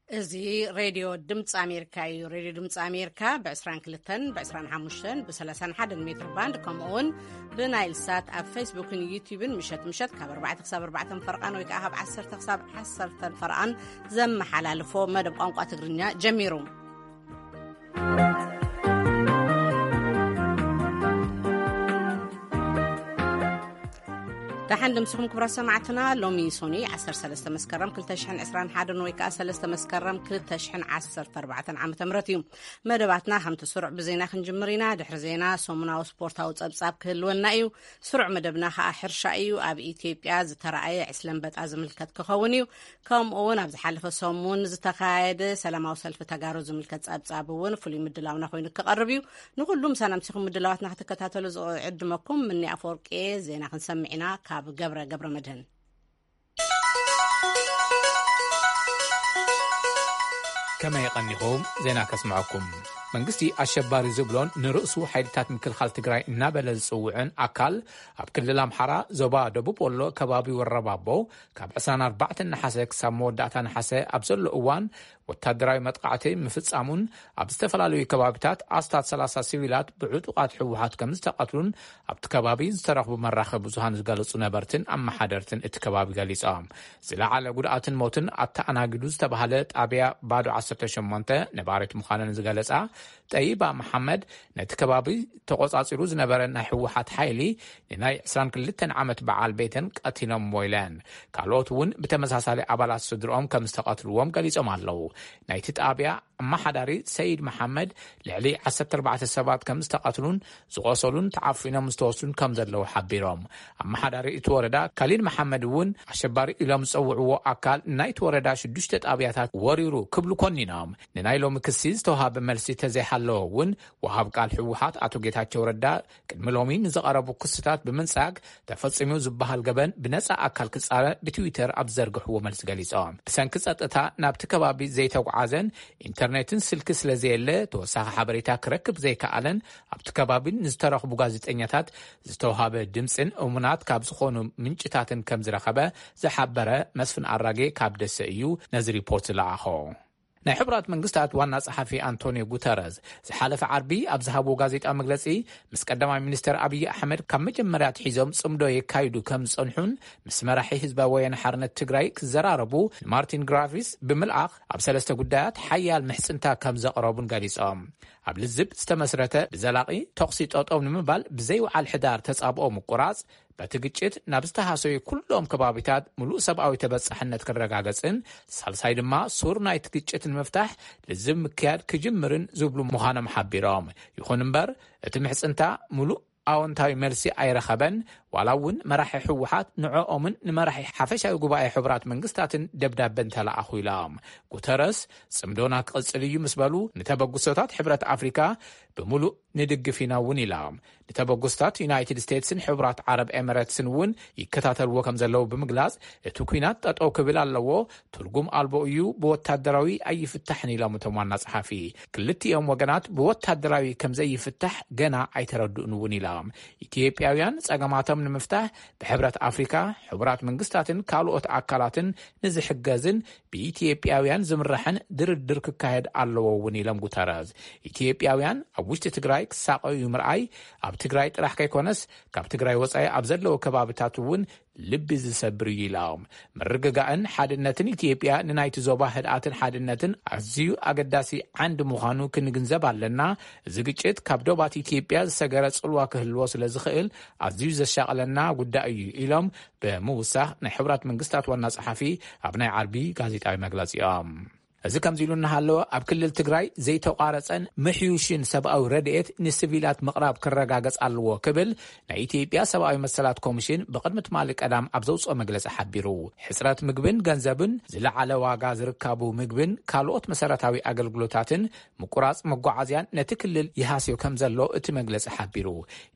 እዚ ሬድዮ ድምፂ ኣሜሪካ እዩ። ሬድዮ ድምፂ ኣሜሪካ ብ22፣ ብ25፣ ብ31 ሜትር ባንድ፣ ከምኡ እውን ብናይል ሳት ኣብ ፌስቡክን ዩቲዩብን ምሸት ምሸት ካብ ኣርባዕተ ክሳብ ኣርባዕተ ፈርቓን ወይ ከዓ ካብ ዓሰርተ ክሳብ ዓሰርተ ፈርቓን ዘመሓላልፎ መደብ ቋንቋ ትግርኛ ጀሚሩ። ደሓን ድምስኹም ክብራት ሰማዕትና። ሎሚ ሶኒ ዓሰርተ ሰለስተ መስከረም ክልተ ሽሕን ዕስራን ሓደን ወይ ከዓ ሰለስተ መስከረም ክልተ ሽሕን ዓሰርተ ኣርባዕተን ዓመተ ምህረት እዩ። መደባትና ከምቲ ስሩዕ ብዜና ክንጅምር ኢና። ድሕሪ ዜና ሰሙናዊ ስፖርታዊ ጸብጻብ ክህልወና እዩ። ስሩዕ መደብና ከዓ ሕርሻ እዩ። ኣብ ኢትዮጵያ ዝተረኣየ ዕስለ ኣንበጣ ዝምልከት ክኸውን እዩ። ከምኡ እውን ኣብ ዝሓለፈ ሰሙን ዝተኻየደ ሰላማዊ ሰልፊ ተጋሩ ዝምልከት ጸብጻብ እውን ፍሉይ ምድላውና ኮይኑ ክቐርብ እዩ። ንኹሉ ምሳና ምሲኹም ምድላዋትና ክትከታተሉ ዝዕድመኩም ምኒ ኣፈወርቂ። ዜና ክንሰምዕ ኢና ካብ ገብረ ገብረ መድህን። ከመይ ቀኒኹም? ዜና ከስምዐኩም። መንግስቲ ኣሸባሪ ዝብሎን ንርእሱ ሓይልታት ምክልኻል ትግራይ እናበለ ዝጽውዕን ኣካል ኣብ ክልል ኣምሓራ ዞባ ደቡብ ወሎ ከባቢ ወረባቦ ካብ ዕስራን ኣርባዕተን ነሓሰ ክሳብ መወዳእታ ነሓሰ ኣብ ዘሎ እዋን ወታደራዊ መጥቃዕቲ ምፍጻሙን ኣብ ዝተፈላለዩ ከባቢታት ኣስታት ሰላሳ ሲቪላት ብዕጡቓት ህወሓት ከም ዝተቐትሉን ኣብቲ ከባቢ ዝተረኽቡ መራኸቢ ብዙሃን ዝገለጹ ነበርትን ኣመሓደርትን እቲ ከባቢ ገሊጾም። ዝለዓለ ጉድኣትን ሞትን ኣተኣናጊዱ ዝተባህለ ጣብያ ባዶ ዓሰርተ ሸሞንተ ነባሪት ምዃነን ዝገለጻ ጠይባ መሓመድ፣ ነቲ ከባቢ ተቖጻጺሩ ዝነበረ ናይ ህወሓት ሓይሊ ንናይ ዕስራን ክልተን ዓመት በዓል ቤተን ቀቲሎምዎ ኢለን። ካልኦት እውን ብተመሳሳሊ ኣባላት ስድርኦም ከም ዝተቐትልዎም ገሊጾም ኣለዉ። ናይቲ ጣብያ ኣመሓዳሪ ሰይድ መሓመድ፣ ልዕሊ ዓሰርተ ኣርባዕተ ሰባት ከም ዝተቐትሉን ዝቖሰሉን ተዓፊኖም ዝተወስዱን ከም ዘለዉ ሓቢሮም። ኣመሓዳሪ እቲ ወረዳ ካሊድ መሓመድ እውን ኣሸባሪ ኢሎም ዝጸውዕዎ ኣካል ናይቲ ወረዳ ሽዱሽተ ጣብያታት ወሪሩ ክብሉ ኮኒኖም። ንናይ ሎሚ ክሲ ዝተውሃበ መልሲ ተዘይሃለወ እውን፣ ወሃብ ቃል ህወሓት ኣቶ ጌታቸው ረዳ ቅድሚ ሎሚ ንዝቐረቡ ክስታት ብምንጻግ፣ ተፈጺሙ ዝበሃል ገበን ብነጻ ኣካል ክጻረ ብትዊተር ኣብ ዝዘርግሕዎ መልሲ ገሊጾም። ብሰንኪ ጸጥታ ናብቲ ከባቢ ዘይተጓዓዘን ኢንተርኔትን ስልኪ ስለ ዘየለ ተወሳኺ ሓበሬታ ክረክብ ዘይከኣለን ኣብቲ ከባቢ ንዝተረኽቡ ጋዜጠኛታት ዝተውሃበ ድምፅን እሙናት ካብ ዝኾኑ ምንጭታትን ከም ዝረኸበ ዝሓበረ መስፍን ኣራጌ ካብ ደሰ እዩ ነዚ ሪፖርት ዝለኣኾ። ናይ ሕቡራት መንግስታት ዋና ጸሓፊ ኣንቶኒዮ ጉተረዝ ዝሓለፈ ዓርቢ ኣብ ዝሃብዎ ጋዜጣ መግለጺ፣ ምስ ቀዳማይ ሚኒስተር ኣብይ ኣሕመድ ካብ መጀመርያ ኣትሒዞም ጽምዶ የካይዱ ከም ዝጸንሑን ምስ መራሒ ህዝባዊ ወያነ ሓርነት ትግራይ ክዘራረቡ ንማርቲን ግራፊስ ብምልኣኽ ኣብ ሰለስተ ጉዳያት ሓያል ምሕጽንታ ከም ዘቕረቡን ገሊጾም። ኣብ ልዝብ ዝተመስረተ ብዘላቒ ተኹሲ ጠጠው ንምባል ብዘይውዓል ሕዳር ተጻብኦ ምቁራጽ፣ በቲ ግጭት ናብ ዝተሃሰዩ ኩሎም ከባቢታት ምሉእ ሰብኣዊ ተበጻሕነት ክረጋገጽን፣ ሳልሳይ ድማ ሱር ናይቲ ግጭት ንምፍታሕ ልዝብ ምክያድ ክጅምርን ዝብሉ ምዃኖም ሓቢሮም። ይኹን እምበር፣ እቲ ምሕጽንታ ምሉእ ኣወንታዊ መልሲ ኣይረኸበን፣ ዋላ እውን መራሒ ህወሓት ንዕኦምን ንመራሒ ሓፈሻዊ ጉባኤ ሕቡራት መንግስታትን ደብዳበ እንተለኣኹ ኢሎም። ጉተረስ፣ ጽምዶና ክቕጽል እዩ ምስ በሉ፣ ንተበግሶታት ሕብረት ኣፍሪካ ብምሉእ ንድግፍ ኢና እውን ኢሎም። ንተበግሶታት ዩናይትድ ስቴትስን ሕቡራት ዓረብ ኤምሬትስን እውን ይከታተልዎ ከም ዘለዉ ብምግላጽ፣ እቲ ኲናት ጠጠው ክብል ኣለዎ፣ ትርጉም ኣልቦ እዩ፣ ብወታደራዊ ኣይፍታሕን ኢሎም እቶም ዋና ጸሓፊ። ክልቲኦም ወገናት ብወታደራዊ ከም ዘይፍታሕ ገና ኣይተረድኡን እውን ኢሎም። ኢትዮጵያውያን ጸገማቶም ንምፍታሕ ብሕብረት ኣፍሪካ፣ ሕቡራት መንግስታትን ካልኦት ኣካላትን ንዝሕገዝን ብኢትዮጵያውያን ዝምራሕን ድርድር ክካየድ ኣለዎ እውን ኢሎም ጉተረዝ። ኢትዮጵያውያን ኣብ ውሽጢ ትግራይ ክሳቐዩ ምርኣይ ኣብ ትግራይ ጥራሕ ከይኮነስ ካብ ትግራይ ወጻኢ ኣብ ዘለዉ ከባብታት እውን ልቢ ዝሰብር እዩ ኢሎም። ምርግጋእን ሓድነትን ኢትዮጵያ ንናይቲ ዞባ ህድኣትን ሓድነትን ኣዝዩ ኣገዳሲ ዓንዲ ምዃኑ ክንግንዘብ ኣለና። እዚ ግጭት ካብ ዶባት ኢትዮጵያ ዝሰገረ ጽልዋ ክህልዎ ስለ ዝኽእል ኣዝዩ ዘሻቕለና ጉዳይ እዩ ኢሎም ብምውሳኽ ናይ ሕቡራት መንግስታት ዋና ጸሓፊ ኣብ ናይ ዓርቢ ጋዜጣዊ መግለጺኦም። እዚ ከምዚ ኢሉ እናሃለወ ኣብ ክልል ትግራይ ዘይተቋረጸን ምሕዩሽን ሰብኣዊ ረድኤት ንስቪላት ምቕራብ ክረጋገጽ ኣለዎ ክብል ናይ ኢትዮጵያ ሰብኣዊ መሰላት ኮሚሽን ብቕድሚ ትማሊ ቀዳም ኣብ ዘውፅኦ መግለጺ ሓቢሩ። ሕፅረት ምግብን ገንዘብን፣ ዝለዓለ ዋጋ ዝርካቡ ምግብን ካልኦት መሰረታዊ ኣገልግሎታትን ምቁራጽ መጓዓዝያን ነቲ ክልል ይሃስዮ ከም ዘሎ እቲ መግለጺ ሓቢሩ።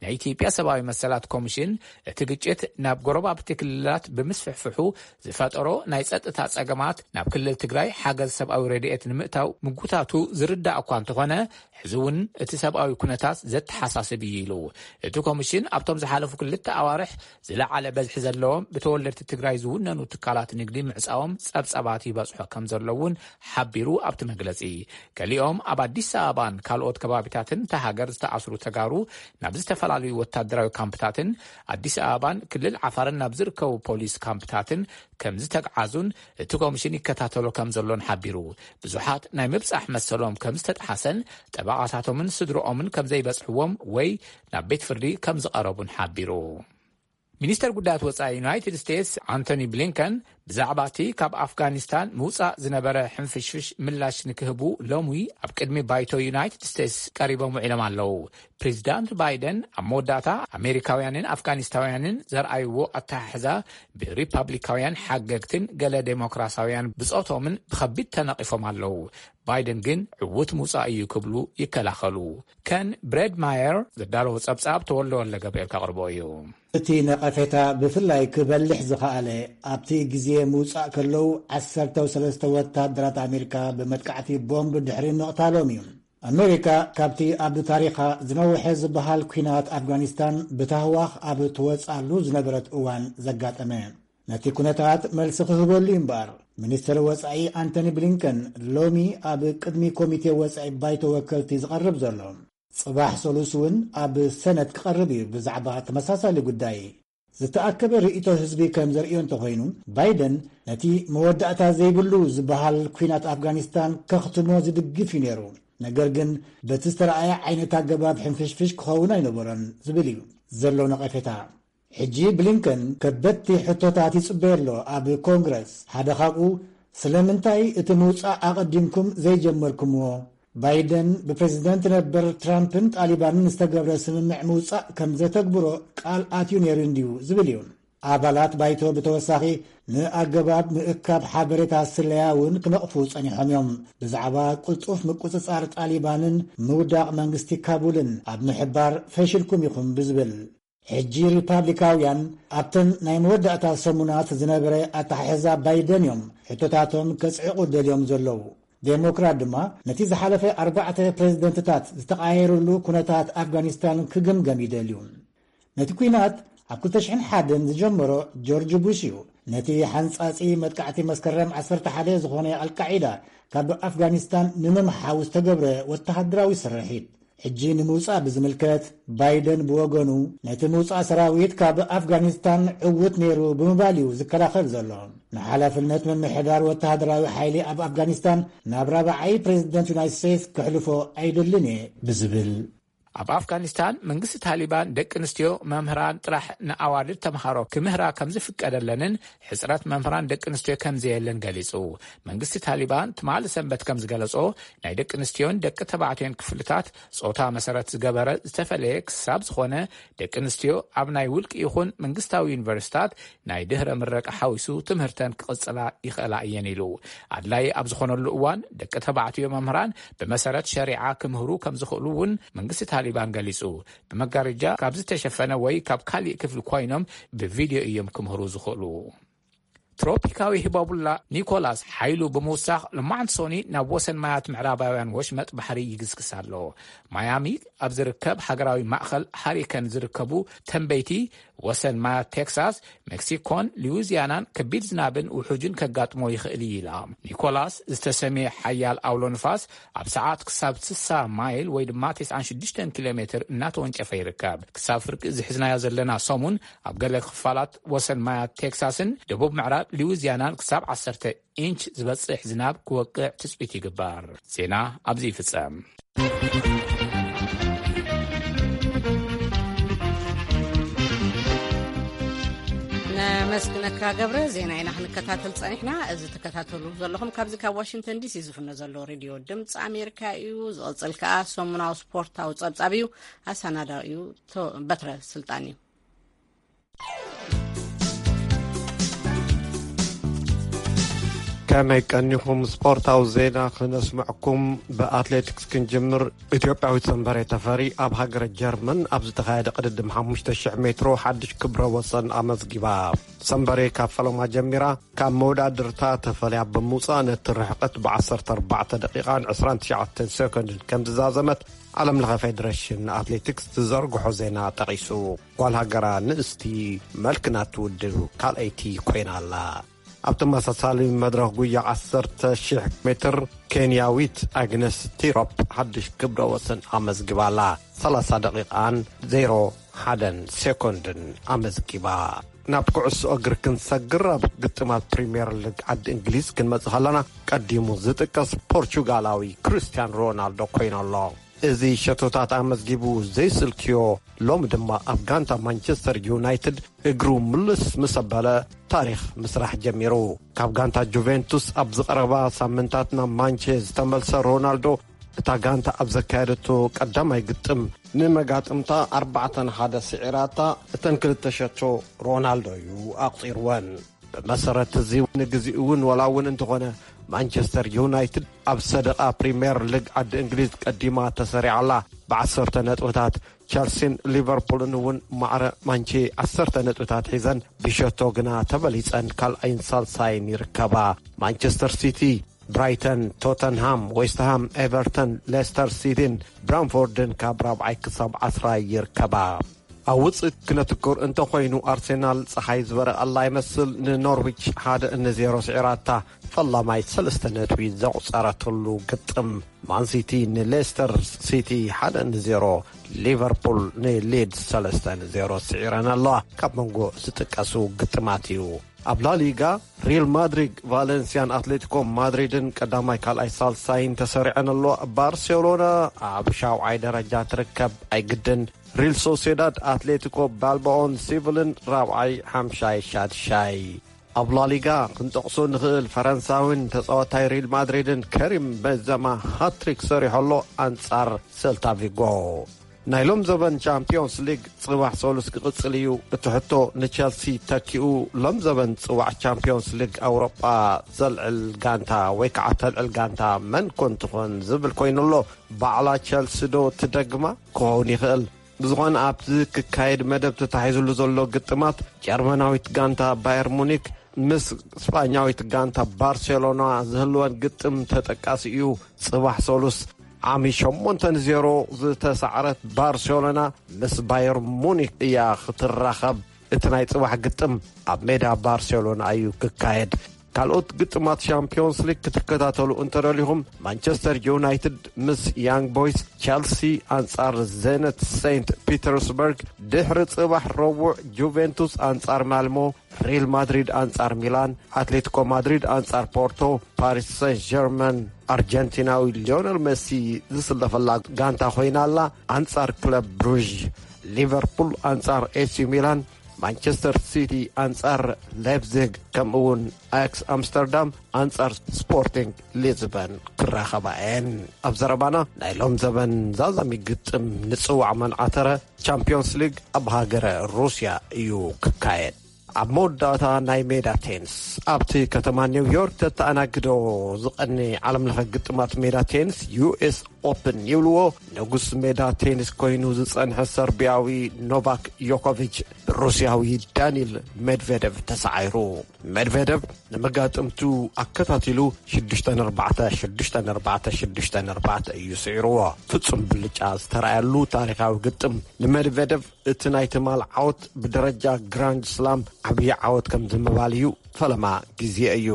ናይ ኢትዮጵያ ሰብኣዊ መሰላት ኮሚሽን እቲ ግጭት ናብ ጎረባብቲ ክልላት ብምስፍሕፍሑ ዝፈጠሮ ናይ ጸጥታ ጸገማት ናብ ክልል ትግራይ ሓገዝ ሰብኣዊ ረድኤት ንምእታው ምጉታቱ ዝርዳእ እኳ እንተኾነ፣ ሕዚ እውን እቲ ሰብኣዊ ኩነታት ዘተሓሳስብ እዩ ኢሉ። እቲ ኮሚሽን ኣብቶም ዝሓለፉ ክልተ ኣዋርሕ ዝለዓለ በዝሒ ዘለዎም ብተወለድቲ ትግራይ ዝውነኑ ትካላት ንግዲ ምዕጻዎም ጸብጻባት ይበጽሖ ከም ዘሎ እውን ሓቢሩ ኣብቲ መግለጺ። ገሊኦም ኣብ ኣዲስ ኣበባን ካልኦት ከባቢታትን እታ ሃገር ዝተኣስሩ ተጋሩ ናብ ዝተፈላለዩ ወታደራዊ ካምፕታትን ኣዲስ ኣበባን ክልል ዓፋርን ናብ ዝርከቡ ፖሊስ ካምፕታትን ከም ዝተግዓዙን እቲ ኮሚሽን ይከታተሎ ከም ዘሎን ሓቢሩ። ብዙሓት ናይ ምብጻሕ መሰሎም ከም ዝተጥሓሰን ጠበቓታቶምን ስድርኦምን ከም ዘይበጽሕዎም ወይ ናብ ቤት ፍርዲ ከም ዝቐረቡን ሓቢሩ። ሚኒስተር ጉዳያት ወጻኢ ዩናይትድ ስቴትስ ኣንቶኒ ብሊንከን ብዛዕባ እቲ ካብ ኣፍጋኒስታን ምውጻእ ዝነበረ ሕንፍሽፍሽ ምላሽ ንክህቡ ሎሚ ኣብ ቅድሚ ባይቶ ዩናይትድ ስቴትስ ቀሪቦም ውዒሎም ኣለዉ። ፕሬዚዳንት ባይደን ኣብ መወዳእታ ኣሜሪካውያንን ኣፍጋኒስታውያንን ዘርኣይዎ ኣተሓሕዛ ብሪፓብሊካውያን ሓገግትን ገለ ዴሞክራሳውያን ብጾቶምን ብኸቢድ ተነቒፎም ኣለዉ። ባይደን ግን ዕዉት ምውጻእ እዩ ክብሉ ይከላኸሉ። ከን ብሬድ ማየር ዘዳለዎ ጸብጻብ ተወልደ ወልደ ገብርኤል ከቕርቦ እዩ። እቲ ነቐፌታ ብፍላይ ክበልሕ ዝኸኣለ ኣብቲ ግዜ ምውጻእ ከለዉ ዓሰርተ ሰለስተ ወታደራት ኣሜሪካ ብመጥቃዕቲ ቦምብ ድሕሪ ምቕታሎም እዩ። ኣሜሪካ ካብቲ ኣብ ታሪኻ ዝነውሐ ዝበሃል ኲናት ኣፍጋኒስታን ብታህዋኽ ኣብ ትወጻሉ ዝነበረት እዋን ዘጋጠመ ነቲ ኩነታት መልሲ ክህበሉ እዩ እምበኣር፣ ሚኒስትር ወጻኢ ኣንቶኒ ብሊንከን ሎሚ ኣብ ቅድሚ ኮሚቴ ወጻኢ ባይቶ ወከልቲ ዝቐርብ ዘሎ። ጽባሕ ሰሉስ እውን ኣብ ሰነት ክቐርብ እዩ ብዛዕባ ተመሳሳሊ ጉዳይ። ዝተኣከበ ርእይቶ ህዝቢ ከም ዘርእዮ እንተኾይኑ፣ ባይደን ነቲ መወዳእታ ዘይብሉ ዝበሃል ኲናት ኣፍጋኒስታን ከኽትሞ ዝድግፍ እዩ ነይሩ። ነገር ግን በቲ ዝተረኣየ ዓይነት ኣገባብ ሕንፍሽፍሽ ክኸውን ኣይነበሮን ዝብል እዩ ዘሎ ነቐፌታ። ሕጂ ብሊንከን ከበድቲ ሕቶታት ይጽበዮ ኣሎ ኣብ ኮንግረስ። ሓደ ካብኡ ስለምንታይ እቲ ምውጻእ ኣቐዲምኩም ዘይጀመርኩምዎ? ባይደን ብፕሬዚደንት ነበር ትራምፕን ጣሊባንን ዝተገብረ ስምምዕ ምውጻእ ከም ዘተግብሮ ቃል ኣትዩ ነይሩ እንድዩ ዝብል እዩ። ኣባላት ባይቶ ብተወሳኺ ንኣገባብ ምእካብ ሓበሬታ ስለያ እውን ክነቕፉ ጸኒሖም እዮም። ብዛዕባ ቅልጡፍ ምቁጽጻር ጣሊባንን ምውዳቕ መንግስቲ ካቡልን ኣብ ምሕባር ፈሽልኩም ኢኹም ብዝብል። ሕጂ ሪፓብሊካውያን ኣብተን ናይ መወዳእታ ሰሙናት ዝነበረ ኣተሓሕዛ ባይደን እዮም ሕቶታቶም ከጽዕቑ ደልዮም ዘለዉ። ዴሞክራት ድማ ነቲ ዝሓለፈ ኣርባዕተ ፕሬዚደንትታት ዝተቐያየሩሉ ኩነታት ኣፍጋኒስታን ክግምገም ይደልዩ። ነቲ ኲናት ኣብ ክልተ ሽሕን ሓደን ዝጀመሮ ጆርጅ ቡሽ እዩ። ነቲ ሓንጻጺ መጥቃዕቲ መስከረም ዓሰርተ ሓደ ዝኾነ ኣልቃዒዳ ካብ ኣፍጋኒስታን ንምምሓው ዝተገብረ ወተሃደራዊ ስርሒት ሕጂ ንምውጻእ ብዝምልከት፣ ባይደን ብወገኑ ነቲ ምውጻእ ሰራዊት ካብ ኣፍጋኒስታን ዕዉት ነይሩ ብምባል እዩ ዝከላኸል ዘሎ። ንሓላፍነት ምምሕዳር ወተሃደራዊ ሓይሊ ኣብ ኣፍጋኒስታን ናብ ራብዓይ ፕሬዚደንት ዩናይትድ ስቴትስ ክሕልፎ ኣይደልን እየ ብዝብል። ኣብ ኣፍጋኒስታን መንግስቲ ታሊባን ደቂ ኣንስትዮ መምህራን ጥራሕ ንኣዋልድ ተምሃሮ ክምህራ ከም ዝፍቀደለንን ሕጽረት መምህራን ደቂ ኣንስትዮ ከም ዘየለን ገሊጹ። መንግስቲ ታሊባን ትማሊ ሰንበት ከም ዝገለጾ፣ ናይ ደቂ ኣንስትዮን ደቂ ተባዕትዮን ክፍልታት ጾታ መሰረት ዝገበረ ዝተፈለየ ክሳብ ዝኾነ፣ ደቂ ኣንስትዮ ኣብ ናይ ውልቂ ይኹን መንግስታዊ ዩኒቨርሲታት ናይ ድህረ ምረቃ ሓዊሱ ትምህርተን ክቕጽላ ይኽእላ እየን ኢሉ። ኣድላይ ኣብ ዝኾነሉ እዋን ደቂ ተባዕትዮ መምህራን ብመሰረት ሸሪዓ ክምህሩ ከም ዝኽእሉ እውን መንግስቲ ታሊባን ገሊጹ። ብመጋረጃ ካብ ዝተሸፈነ ወይ ካብ ካሊእ ክፍሊ ኮይኖም ብቪድዮ እዮም ክምህሩ ዝኽእሉ። ትሮፒካዊ ህባቡላ ኒኮላስ ሓይሉ ብምውሳኽ፣ ሎማዕንቲ ሶኒ ናብ ወሰን ማያት ምዕራባውያን ወሽመጥ ባሕሪ ይግስግስ ኣሎ። ማያሚ ኣብ ዝርከብ ሃገራዊ ማእኸል ሃሪከን ዝርከቡ ተንበይቲ፣ ወሰን ማያት ቴክሳስ፣ ሜክሲኮን ሉዊዚያናን ከቢድ ዝናብን ውሑጅን ከጋጥሞ ይኽእል እዩ ኢላ። ኒኮላስ ዝተሰምየ ሓያል ኣውሎ ንፋስ ኣብ ሰዓት ክሳብ ስሳ ማይል ወይ ድማ ተስዓን ሽዱሽተን ኪሎ ሜትር እናተወንጨፈ ይርከብ። ክሳብ ፍርቂ ዝሕዝናዮ ዘለና ሰሙን ኣብ ገለ ክፋላት ወሰን ማያት ቴክሳስን ደቡብ ምዕራብ ሉዊዚያናን ክሳብ ዓሰርተ ኢንች ዝበጽሕ ዝናብ ክወቅዕ ትጽቢት ይግበር። ዜና ኣብዚ ይፍጸም። ነመስግነካ ገብረ። ዜና ኢና ክንከታተል ጸኒሕና። እዚ ትከታተሉ ዘለኹም ካብዚ ካብ ዋሽንግተን ዲሲ ዝፍኖ ዘሎ ሬድዮ ድምፂ ኣሜሪካ እዩ። ዝቕጽል ከኣ ሰሙናዊ ስፖርታዊ ጸብጻብ እዩ። ኣሰናዳኢኡ ቶ-፣ በትረ ስልጣን እዩ። ከመይ ቀኒኹም? ስፖርታዊ ዜና ክነስምዕኩም። ብኣትሌቲክስ ክንጅምር። ኢትዮጵያዊት ሰንበሬ ተፈሪ ኣብ ሃገረ ጀርመን ኣብ ዝተኻየደ ቅድድም ሓሙሽተ ሽሕ ሜትሮ ሓድሽ ክብረ ወሰን ኣመዝጊባ። ሰንበሬ ካብ ፈለማ ጀሚራ ካብ መወዳድርታ ተፈልያ ብምውፃእ ነቲ ርሕቀት ብ ዓሰርተ ኣርባዕተ ደቂቓን ዕስራን ትሽዓተን ሴኮንድን ከም ዝዛዘመት ዓለም ለኸ ፌደሬሽን ኣትሌቲክስ ዝዘርግሖ ዜና ጠቒሱ። ጓል ሃገራ ንእስቲ መልክና ትውድብ ካልኣይቲ ኮይና ኣላ። ኣብ ተመሳሳሊ መድረኽ ጉያ ዓሰርተ ሽሕ ሜትር ኬንያዊት ኣግነስ ቲሮፕ ሓድሽ ክብረ ወሰን ኣመዝጊባላ። ሰላሳ ደቂቓን ዜሮ ሓደን ሴኮንድን ኣመዝጊባ። ናብ ኩዕሶ እግሪ ክንሰግር ኣብ ግጥማት ፕሪምየር ሊግ ዓዲ እንግሊዝ ክንመጽእ ከለና ቀዲሙ ዝጥቀስ ፖርቹጋላዊ ክርስቲያን ሮናልዶ ኮይኑ ኣሎ። እዚ ሸቶታት ኣመዝጊቡ ዘይስልክዮ ሎም ድማ ኣብ ጋንታ ማንቸስተር ዩናይትድ እግሩ ምልስ ምስ ኣበለ ታሪኽ ምስራሕ ጀሚሩ። ካብ ጋንታ ጁቬንቱስ ኣብ ዝቐረባ ሳምንታት ናብ ማንቸ ዝተመልሰ ሮናልዶ እታ ጋንታ ኣብ ዘካየደቶ ቀዳማይ ግጥም ንመጋጥምታ ኣርባዕተ ንሓደ ስዒራታ እተን ክልተ ሸቶ ሮናልዶ እዩ ኣቑፂርወን። ብመሰረት እዚ ንግዜኡ እውን ወላ እውን እንተኾነ ማንቸስተር ዩናይትድ ኣብ ሰደቓ ፕሪምየር ሊግ ዓዲ እንግሊዝ ቀዲማ ተሰሪዓላ ብዓሰርተ ነጥብታት። ቸልሲን ሊቨርፑልን እውን ማዕረ ማንቼ ዓሰርተ ነጥብታት ሒዘን ብሸቶ ግና ተበሊፀን ካልኣይን ሳልሳይን ይርከባ። ማንቸስተር ሲቲ፣ ብራይተን፣ ቶተንሃም፣ ዌስትሃም፣ ኤቨርተን፣ ሌስተር ሲቲን ብራንፎርድን ካብ ራብዓይ ክሳብ ዓስራይ ይርከባ። ኣብ ውፅእ ክነትኩር እንተኾይኑ ኣርሴናል ፀሓይ ዝበረቐላ ይመስል ንኖርዊች ሓደ ንዜሮ ስዒራታ። ፈላማይ ሰለስተ ነጥቢ ዘቑፀረትሉ ግጥም ማንሲቲ ንሌስተር ሲቲ ሓደ ንዜሮ፣ ሊቨርፑል ንሊድስ ሰለስተ ንዜሮ ስዒረን ኣለዋ። ካብ መንጎ ዝጥቀሱ ግጥማት እዩ። ኣብ ላሊጋ ሪል ማድሪድ ቫለንሲያን ኣትሌቲኮ ማድሪድን ቀዳማይ ካልኣይ ሳልሳይን ተሰሪዐን ኣለዋ። ባርሴሎና ኣብ ሻውዓይ ደረጃ ትርከብ ኣይግድን። ሪል ሶሴዳድ ኣትሌቲኮ ባልባኦን ሲቪልን ራብዓይ ሓምሻይ ሻድሻይ። ኣብ ላሊጋ ክንጠቕሶ ንኽእል ፈረንሳዊን ተጻዋታይ ሪል ማድሪድን ከሪም ቤንዘማ ሃትሪክ ሰሪሖ ኣሎ ኣንጻር ሴልታ ቪጎ። ናይ ሎም ዘበን ቻምፒዮንስ ሊግ ጽባሕ ሰሉስ ክቕጽል እዩ። እቲ ሕቶ ንቸልሲ ተኪኡ ሎም ዘበን ጽዋዕ ቻምፒዮንስ ሊግ ኣውሮጳ ዘልዕል ጋንታ ወይ ከዓ ተልዕል ጋንታ መን ኮን ትኾን ዝብል ኮይኑ ኣሎ። ባዕላ ቸልሲ ዶ ትደግማ ክኸውን ይኽእል። ብዝኾነ ኣብዚ ክካየድ መደብ ተታሒዝሉ ዘሎ ግጥማት ጀርመናዊት ጋንታ ባየር ሙኒክ ምስ ስጳኛዊት ጋንታ ባርሴሎና ዝህልወን ግጥም ተጠቃሲ እዩ። ጽባሕ ሰሉስ ዓሚ ሸሞንተ ንዜሮ ዝተሳዕረት ባርሴሎና ምስ ባየር ሙኒክ እያ ክትራኸብ። እቲ ናይ ጽባሕ ግጥም ኣብ ሜዳ ባርሴሎና እዩ ክካየድ። ካልኦት ግጥማት ሻምፒዮንስ ሊግ ክትከታተሉ እንተደሊኹም ማንቸስተር ዩናይትድ ምስ ያንግ ቦይስ፣ ቸልሲ ኣንጻር ዜነት ሴንት ፒተርስበርግ፣ ድሕሪ ጽባሕ ረቡዕ ጁቬንቱስ ኣንጻር ማልሞ፣ ሪል ማድሪድ ኣንጻር ሚላን፣ ኣትሌቲኮ ማድሪድ ኣንጻር ፖርቶ፣ ፓሪስ ሰን ጀርመን ኣርጀንቲናዊ ሊዮነል ሜሲ ዝስለፈላ ጋንታ ኮይና ኣላ። ኣንጻር ክለብ ብሩዥ፣ ሊቨርፑል ኣንጻር ኤሲ ሚላን፣ ማንቸስተር ሲቲ ኣንጻር ላይፕዚግ፣ ከምኡ እውን ኣያክስ ኣምስተርዳም ኣንጻር ስፖርቲንግ ሊዝበን ክራኸባ እየን። ኣብ ዘረባና ናይ ሎም ዘበን ዛዛሚ ግጥም ንጽዋዕ መንዓተረ ቻምፒዮንስ ሊግ ኣብ ሃገረ ሩስያ እዩ ክካየድ። ኣብ መወዳእታ ናይ ሜዳ ቴንስ ኣብቲ ከተማ ኒውዮርክ ተተኣናግዶ ዝቐኒ ዓለም ለኸ ግጥማት ሜዳ ቴንስ ዩ ኤስ ኦፕን ይብልዎ ንጉስ ሜዳ ቴኒስ ኮይኑ ዝጸንሐ ሰርቢያዊ ኖቫክ ዮኮቪች ብሩስያዊ ዳኒል ሜድቬደቭ ተሳዒሩ። ሜድቬደቭ ንመጋጥምቱ ኣከታቲሉ ሽዱሽተ ኣርባዕተ፣ ሽዱሽተ ኣርባዕተ፣ ሽዱሽተ ኣርባዕተ እዩ ስዒርዎ። ፍጹም ብልጫ ዝተራእየሉ ታሪኻዊ ግጥም ንሜድቬደቭ እቲ ናይ ትማል ዓወት ብደረጃ ግራንድ ስላም ዓብዪ ዓወት ከም ዝምባል እዩ። ፈለማ ግዜ እዩ።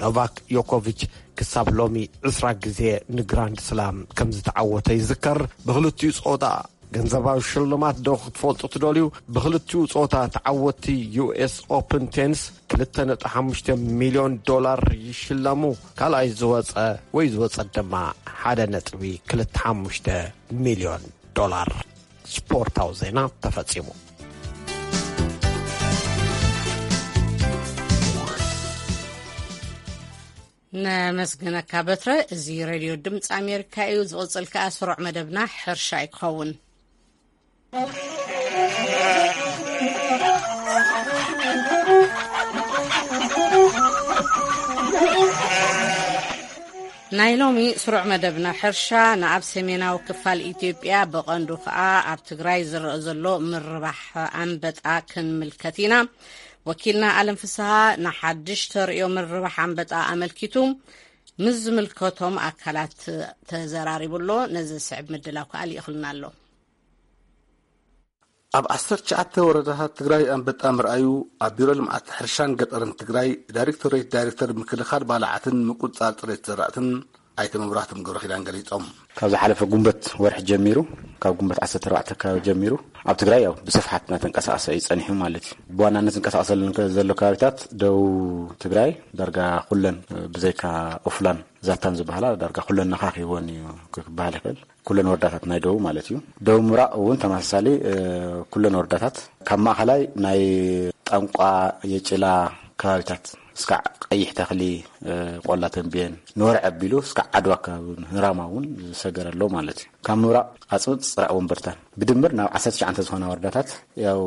ኖቫክ ዮኮቪች ክሳብ ሎሚ ዕስራ ግዜ ንግራንድ ስላም ከም ዝተዓወተ ይዝከር። ብክልቲኡ ጾታ ገንዘባዊ ሽልማት ዶ ክትፈልጡ ትደልዩ? ብክልቲኡ ጾታ ተዓወትቲ ዩ ኤስ ኦፕን ቴኒስ ክልተ ነጥቢ ሓሙሽተ ሚልዮን ዶላር ይሽለሙ። ካልኣይ ዝወጸ ወይ ዝወጸት ድማ ሓደ ነጥቢ ክልተ ሓሙሽተ ሚልዮን ዶላር። ስፖርታዊ ዜና ተፈጺሙ። ነመስግነካ በትረ። እዚ ሬድዮ ድምፂ ኣሜሪካ እዩ። ዝቕፅል ከኣ ስሩዕ መደብና ሕርሻ እዩ ክኸውን። ናይ ሎሚ ስሩዕ መደብና ሕርሻ ንኣብ ሰሜናዊ ክፋል ኢትዮጵያ፣ ብቐንዱ ከኣ ኣብ ትግራይ ዝረኣ ዘሎ ምርባሕ ኣንበጣ ክንምልከት ኢና። ወኪልና ኣለም ፍስሃ ንሓድሽ ተርእዮ ምርባሕ ኣንበጣ ኣመልኪቱ ምስ ዝምልከቶም ኣካላት ተዘራሪቡ ኣሎ። ነዚ ዝስዕብ ምድላው ከኣ ልኢኽልና ኣሎ። ኣብ ዓሰርተ ትሽዓተ ወረዳታት ትግራይ ኣንበጣ ምርኣዩ ኣብ ቢሮ ልምዓት ሕርሻን ገጠርን ትግራይ ዳይሬክቶሬት ዳይሬክተር ምክልኻል ባልዓትን ምቁፅፃር ፅሬት ዘራእትን ኣይተ መብራህቶም ገብረ ኪዳን ገሊፆም። ካብ ዝሓለፈ ጉንበት ወርሒ ጀሚሩ፣ ካብ ጉንበት ዓሰርተ ኣርባዕተ ከባቢ ጀሚሩ ኣብ ትግራይ ያው ብስፍሓት እናተንቀሳቐሰ እዩ ጸኒሑ ማለት እዩ። ብዋናነት ዝንቀሳቐሰሉ ከ-፣ ዘሎ ከባቢታት ደቡብ ትግራይ ዳርጋ ኩለን፣ ብዘይካ ኦፍላን ዛታን ዝበሃላ ዳርጋ ኩለን ነኻኺወን እዩ ክበሃል ይኽእል። ኩለን ወረዳታት ናይ ደቡብ ማለት እዩ። ደቡብ ምብራቕ እውን ተመሳሳሊ፣ እ፣ ኩለን ወረዳታት ካብ ማእኸላይ ናይ ጠንቋ፣ የጭላ ከባቢታት እስካዕ ቀይሕ ተኽሊ፣ እ፣ ቆላ ተንቤን፣ ንወርዒ ኣቢሉ እስካዕ ዓድዋ ከባቢ ንራማ እውን ዝሰገረ ኣሎ ማለት እዩ። ካብ ምብራቕ ኣፅብጥ፣ ፅራዕ፣ ወንበርታን ብድምር ናብ ዓሰርተ ትሽዓተ ዝኾና ወረዳታት ያው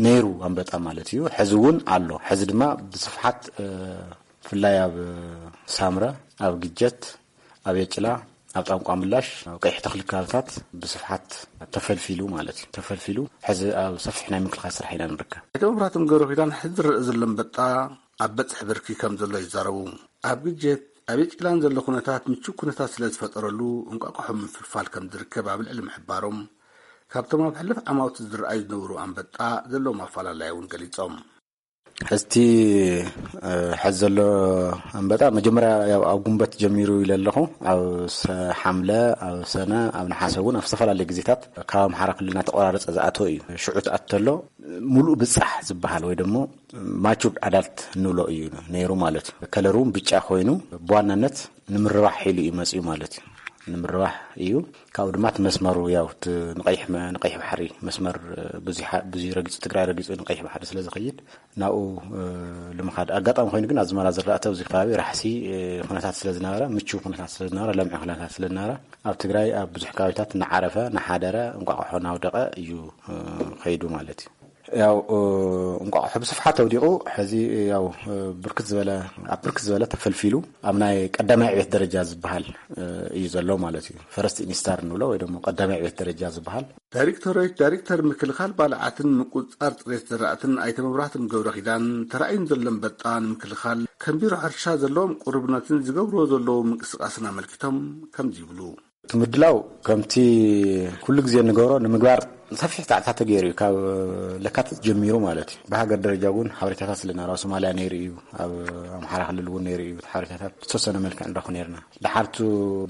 ነይሩ ኣንበጣ ማለት እዩ። ሕዚ እውን ኣሎ። ሕዚ ድማ ብስፍሓት፣ እ፣ ብፍላይ ኣብ ሳምረ፣ ኣብ ግጀት፣ ኣብ የጭላ፣ ኣብ ጣንቋ ምላሽ፣ ኣብ ቀይሕ ተኽሊ ከባቢታት ብስፍሓት ተፈልፊሉ ማለት እዩ። ተፈልፊሉ ሕዚ ኣብ ሰፊሕ ናይ ምክልኻል ስራሕ ኢና ንርከብ። ኣይተ መብራህቶም ገብረ ኪዳን ሕዚ ዝረአ ዘሎ ኣንበጣ ኣብ በፅሒ ብርኪ ከም ዘሎ ይዛረቡ። ኣብ ግጀት፣ ኣብ የጭላን ዘሎ ኩነታት ምቹው ኩነታት ስለ ዝፈጠረሉ እንቋቋሖ ምፍልፋል ከም ዝርከብ ኣብ ልዕሊ ምሕባሮም፣ ካብቶም ኣብ ሕሉፍ ዓማውቲ ዝረኣዩ ዝነበሩ ኣንበጣ ዘለዎም ኣፈላላይ እውን ገሊጾም። ሕዝቲ፣ እ፣ ሕዚ ዘሎ ኣንበጣ መጀመርያ ያው ኣብ ጉንበት ጀሚሩ ኢለ ኣለኹ። ኣብ ሰ-፣ ሓምለ፣ ኣብ ሰነ፣ ኣብ ነሓሰ እውን ኣብ ዝተፈላለዩ ግዜታት ካብ ኣምሓራ ክልል እናተቆራረጸ ዝኣተወ እዩ። ሽዑ ትኣት ተሎ ሙሉእ ብጻሕ ዝበሃል ወይ ደሞ ማቹርድ ኣዳልት እንብሎ እዩ ነይሩ ማለት እዩ። ከለሩ እውን ብጫ ኮይኑ ብዋናነት ንምርባሕ ኢሉ እዩ መፅዩ ማለት እዩ። ንምርባሕ እዩ። ካብኡ ድማ እቲ መስመሩ ያው እቲ ንቀይሕ መ-፣ ንቀይሕ ባሕሪ መስመር፣ እ፣ ብዙይ ሓ-፣ ብዙይ ረጊፁ፣ ትግራይ ረጊፁ ንቀይሕ ባሕሪ ስለ ዝኸይድ ናብኡ፣ እ፣ ንምኻድ ኣጋጣሚ ኮይኑ ግን ኣዝመራ ዝራእቲ ኣብዚ ከባቢ ራሕሲ፣ እ፣ ኩነታት ስለ ዝነበረ፣ ምቹው ኩነታት ስለ ዝነበረ፣ ለምዒ ኩነታት ስለ ዝነበረ ኣብ ትግራይ ኣብ ብዙሕ ከባቢታት እናዓረፈ እናሓደረ እንቋቑሖ እናውደቐ እዩ፣ እ፣ ከይዱ ማለት እዩ። ያው፣ እ፣ እንቋቑሖ ብስፍሓት ኣውዲቑ ሕዚ ያው፣ እ፣ ብርክት ዝበለ፣ ኣብ ብርክት ዝበለ ተፈልፊሉ ኣብ ናይ ቀዳማይ ዕቤት ደረጃ ዝበሃል፣ እ፣ እዩ ዘሎ ማለት እዩ። ፈረስት ኢንስታር እንብሎ ወይ ደግሞ ቀዳማይ ዕቤት ደረጃ ዝበሃል። ዳይሬክቶሬት ዳይሬክተር ምክልኻል ባልዓትን ምቁፅፃር ፅሬት ዘራእትን ኣይተ መብራህቶም ገብረ ኪዳን፣ ተራእዩን ዘሎ ኣንበጣ ንምክልኻል ከም ቢሮ ሕርሻ ዘለዎም ቅሩብነትን ዝገብርዎ ዘለዉ ምንቅስቃስን ኣመልኪቶም ከምዚ ይብሉ። እቲ ምድላው ከምቲ ኩሉ ግዜ እንገብሮ ንምግባር ሰፊሕ ፃዕርታት ተገይሩ እዩ። ካብ ለካቲት ጀሚሩ ማለት እዩ። ብሃገር ደረጃ እውን ሓበሬታታት ስለ ነይሩ፣ ኣብ ሶማልያ ነይሩ እዩ፣ ኣብ ኣምሓራ ክልል እውን ነይሩ እዩ። ሓበሬታታት ብዝተወሰነ መልክዕ ንረኽብ ነይርና። ድሓርቱ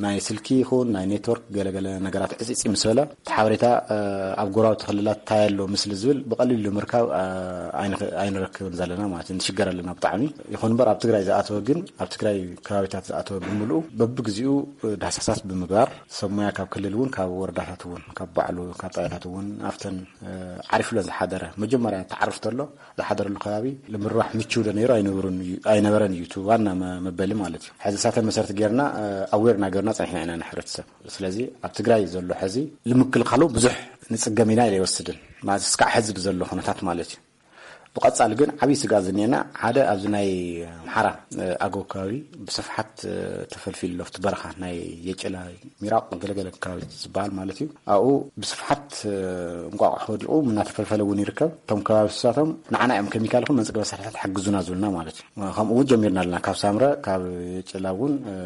ናይ ስልኪ ይኹን ናይ ኔትወርክ ገለገለ ነገራት ዕፅዒፂ ምስ በለ፣ እቲ ሓበሬታ፣ እ፣ ኣብ ጎረባብቲ ክልላት እንታይ ኣሎ ምስሊ ዝብል ብቐሊሉ ንምርካብ፣ እ፣ ኣይንኽ-፣ ኣይንረክብን ዘለና ማለት እዩ። ንሽገር ኣለና ብጣዕሚ። ይኹን እምበር ኣብ ትግራይ ዝኣተወ ግን፣ ኣብ ትግራይ ከባቢታት ዝኣተወ ብምልኡ በብግዚኡ ዳህሳሳት ብምግባር ሰብ ሞያ ካብ ክልል እውን ካብ ወረዳታት እውን ካብ ባዕሉ ካብ ጣብያታት እውን ኣብተን፣ እ፣ ዓሪፍለን ዝሓደረ መጀመርያ ተዓርፍ ተሎ ዝሓደረሉ ከባቢ ንምርባሕ ምችው ዶ ነይሩ ኣይነበሩን እዩ፣ ኣይነበረን እዩ እቲ ዋና መ-፣ መበሊ ማለት እዩ። ሕዚ እሳተን መሰረት ጌርና፣ እ፣ ኣዌርና ጌርና ጸኒሕና ኢና ንሕብረተሰብ። ስለዚ ኣብ ትግራይ ዘሎ ሕዚ ንምክልኻሉ ብዙሕ ንጽገም ኢና ኢለ ይወስድን ማለት እስካዕ ሕዚ ብዘሎ ኩነታት ማለት እዩ። ብቐጻሊ ግን ዓብዪ ስግኣት ዝኔና ሓደ ኣብዚ ናይ ኣምሓራ፣ እ፣ ኣገው ከባቢ ብስፍሓት፣ እ፣ ተፈልፊሉ ኣሎ። ኣብቲ በረኻ ናይ የጨላ ሚራቕ ገለገለ ከባቢ ዝበሃል ማለት እዩ። ኣብኡ ብስፍሓት፣ እ፣ እንቋቑሖ ወዲቑ እናተፈልፈለ እውን ይርከብ። እቶም ከባቢ ንሳቶም ንዓና እዮም ኬሚካል ይኹን መንጽገ መሳርሕታት ሓግዙና ዝብሉና ማለት እዩ። ከምኡ እውን ጀሚርና ኣለና። ካብ ሳምረ፣ ካብ የጨላ እውን፣ እ፣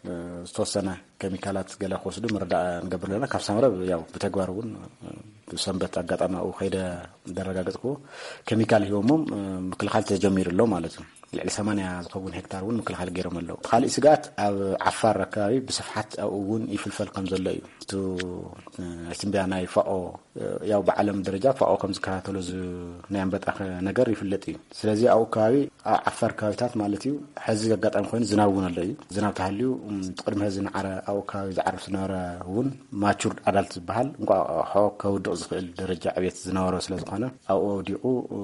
እ፣ ዝተወሰነ ኬሚካላት ገለ ክወስዱ ምርዳእ ንገብር ኣለና። ካብ ሳምረ ያው ብተግባር እውን፣ እ፣ ብሰንበት ኣጋጣሚ ኣብኡ ከይደ ዘረጋገጽክዎ ኬሚካል ሂቦሞም፣ እ፣ ምክልኻል ተጀሚሩ ኣሎ ማለት እዩ። ልዕሊ ሰማንያ ዝኸውን ሄክታር እውን ምክልኻል ገይሮም ኣለዉ። እቲ ካሊእ ስግኣት ኣብ ዓፋር ኣከባቢ ብስፍሓት ኣብኡ እውን ይፍልፈል ከም ዘሎ እዩ። እቲ፣ እ፣ ትንበያ ናይ ፋኦ፣ እ፣ ያው ብዓለም ደረጃ ፋኦ ከም ዝከታተሎ ዝ-፣ ናይ ኣንበጣ ከ-፣ ነገር ይፍለጥ እዩ። ስለዚ ኣብኡ ከባቢ ኣብ ዓፋር ከባቢታት ማለት እዩ። ሕዚ ኣጋጣሚ ኮይኑ ዝናብ እውን ኣሎ እዩ። ዝናብ ተሃልዩ፣ እም፣ ቅድሚ ሕዚ ንዓረ ኣብኡ ከባቢ ዝዓርፍ ዝነበረ እውን ማቹርድ ኣዳልት ዝበሃል እንቋቑሖ ከውድቕ ዝኽእል ደረጃ ዕቤት ዝነበሮ ስለ ዝኾነ ኣብኡ ወዲቑ፣ እ፣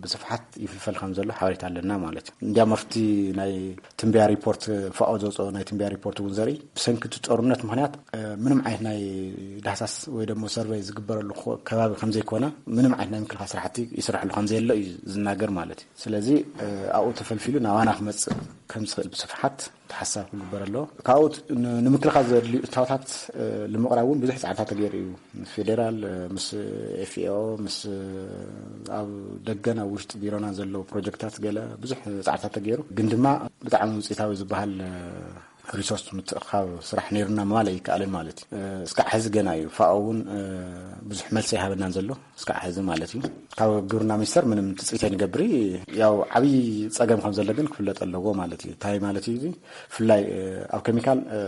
ብስፍሓት ይፍልፈል ከም ዘሎ ሓበሬታ ኣለና ማለት እዩ። እንዲያም ኣብቲ ናይ ትንበያ ሪፖርት ፋኦ ዘውፅኦ ናይ ትንበያ ሪፖርት እውን ዘርኢ ብሰንኪ እቲ ጦርነት ምኽንያት፣ እ፣ ምንም ዓይነት ናይ ዳህሳስ ወይ ደግሞ ሰርቨይ ዝግበረሉ ኮ-፣ ከባቢ ከም ዘይኮነ ምንም ዓይነት ናይ ምክልኻል ስራሕቲ ይስራሕሉ ከም ዘየለ እዩ ዝናገር ማለት እዩ። ስለዚ፣ እ፣ ኣብኡ ተፈልፊሉ ናባና ክመፅእ ከም ዝኽእል ብስፍሓት ሓሳብ ክግበር ኣለዎ። ካብኡ ት-፣ ን-፣ ንምክልኻል ዘድልዩ እታወታት፣ እ፣ ንምቕራብ እውን ብዙሕ ጻዕርታት ተገይሩ እዩ። ምስ ፌዴራል፣ እ፣ ምስ ኤፍኤኦ፣ ምስ፣ እ፣ ኣብ ደገን ኣብ ውሽጢ ቢሮና ዘለዉ ፕሮጀክታት ገለ ብዙሕ ጻዕርታት ተገይሩ። ግን ድማ ብጣዕሚ ውጽኢታዊ ዝበሃል፣ እ፣ ሪሶርስ ምትእኻብ ስራሕ ነይሩና ምባል ኣይከኣልን ማለት እዩ። እ፣ እስካዕ ሕዚ ገና እዩ። ፋኦ እውን፣ እ፣ ብዙሕ መልሲ ኣይሃበናን ዘሎ። እስካዕ ሕዚ ማለት እዩ። ካብ ግብርና ሚኒስተር ምንም ትጽቢት ኣይንገብር። ያው ዓብዪ ጸገም ከም ዘሎ ግን ክፍለጥ ኣለዎ ማለት እዩ። እንታይ ማለት እዩ እዚ? ብፍላይ፣ እ፣ ኣብ ኬሚካል፣ እ፣